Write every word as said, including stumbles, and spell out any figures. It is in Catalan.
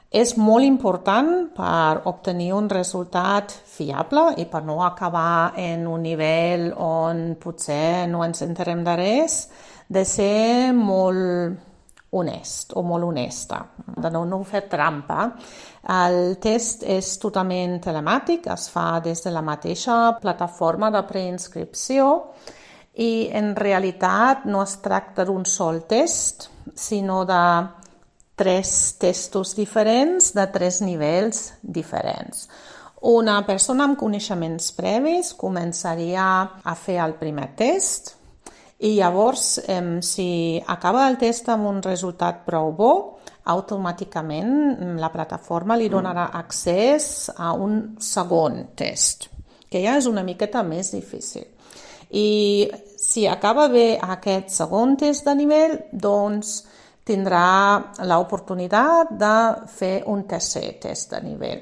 És molt important per obtenir un resultat fiable i per no acabar en un nivell on potser no ens enterem de res, de ser molt honest o molt honesta, de no, no fer trampa. El test és totalment telemàtic, es fa des de la mateixa plataforma de preinscripció i en realitat no es tracta d'un sol test, sinó de tres testos diferents de tres nivells diferents. Una persona amb coneixements previs començaria a fer el primer test i llavors, eh, si acaba el test amb un resultat prou bo, automàticament la plataforma li donarà accés a un segon test, que ja és una miqueta més difícil. I si acaba bé aquest segon test de nivell, doncs tindrà l'oportunitat de fer un tercer test de nivell.